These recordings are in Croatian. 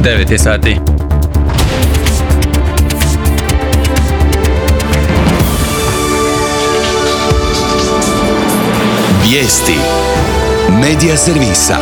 9 je sati. Vijesti Medija servisa.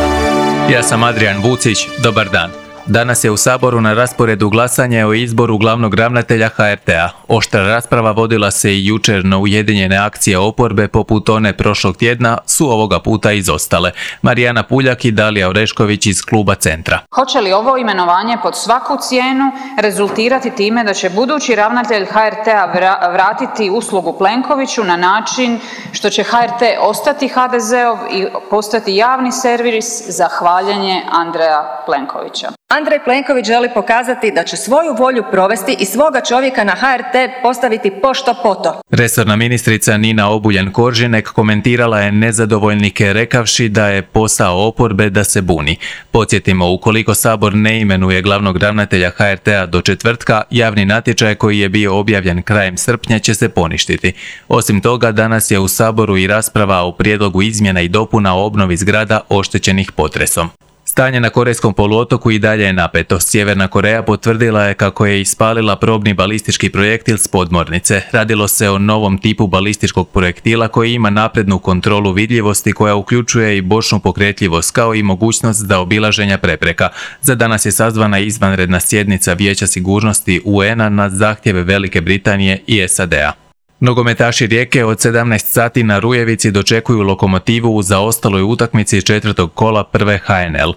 Ja sam Adrian Vucić, dobar dan. Danas je u Saboru na rasporedu glasanje o izboru glavnog ravnatelja HRT-a. Oštra rasprava vodila se i jučer, no ujedinjene akcije oporbe poput one prošlog tjedna su ovoga puta izostale. Marijana Puljak i Dalija Orešković iz kluba Centra. Hoće li ovo imenovanje pod svaku cijenu rezultirati time da će budući ravnatelj HRT-a vratiti uslugu Plenkoviću na način što će HRT ostati HDZ-ov i postati javni servis za hvaljenje Andreja Plenkovića? Andrej Plenković želi pokazati da će svoju volju provesti i svoga čovjeka na HRT postaviti pošto poto. Resorna ministrica Nina Obuljen-Koržinek komentirala je nezadovoljnike rekavši da je posao oporbe da se buni. Podsjetimo, ukoliko Sabor ne imenuje glavnog ravnatelja HRT-a do četvrtka, javni natječaj koji je bio objavljen krajem srpnja će se poništiti. Osim toga, danas je u Saboru i rasprava o prijedlogu izmjena i dopuna o obnovi zgrada oštećenih potresom. Stanje na Korejskom poluotoku i dalje je napeto. Sjeverna Koreja potvrdila je kako je ispalila probni balistički projektil s podmornice. Radilo se o novom tipu balističkog projektila koji ima naprednu kontrolu vidljivosti koja uključuje i bočnu pokretljivost kao i mogućnost zaobilaženja prepreka. Za danas je sazvana izvanredna sjednica Vijeća sigurnosti UN-a na zahtjeve Velike Britanije i SAD-a. Nogometaši Rijeke od 17 sati na Rujevici dočekuju Lokomotivu u zaostaloj utakmici četvrtog kola prve HNL.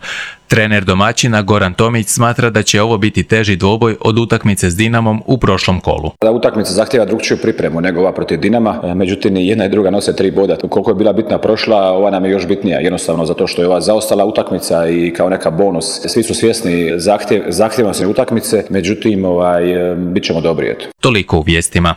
Trener domaćina Goran Tomić smatra da će ovo biti teži dvoboj od utakmice s Dinamom u prošlom kolu. Utakmica zahtjeva drugčiju pripremu nego ova protiv Dinama, međutim jedna i druga nose 3 boda. Koliko je bila bitna prošla, ova nam je još bitnija, jednostavno zato što je ova zaostala utakmica i kao neka bonus. Svi su svjesni zahtjevnosti utakmice, međutim bit ćemo dobri. Toliko u vijestima.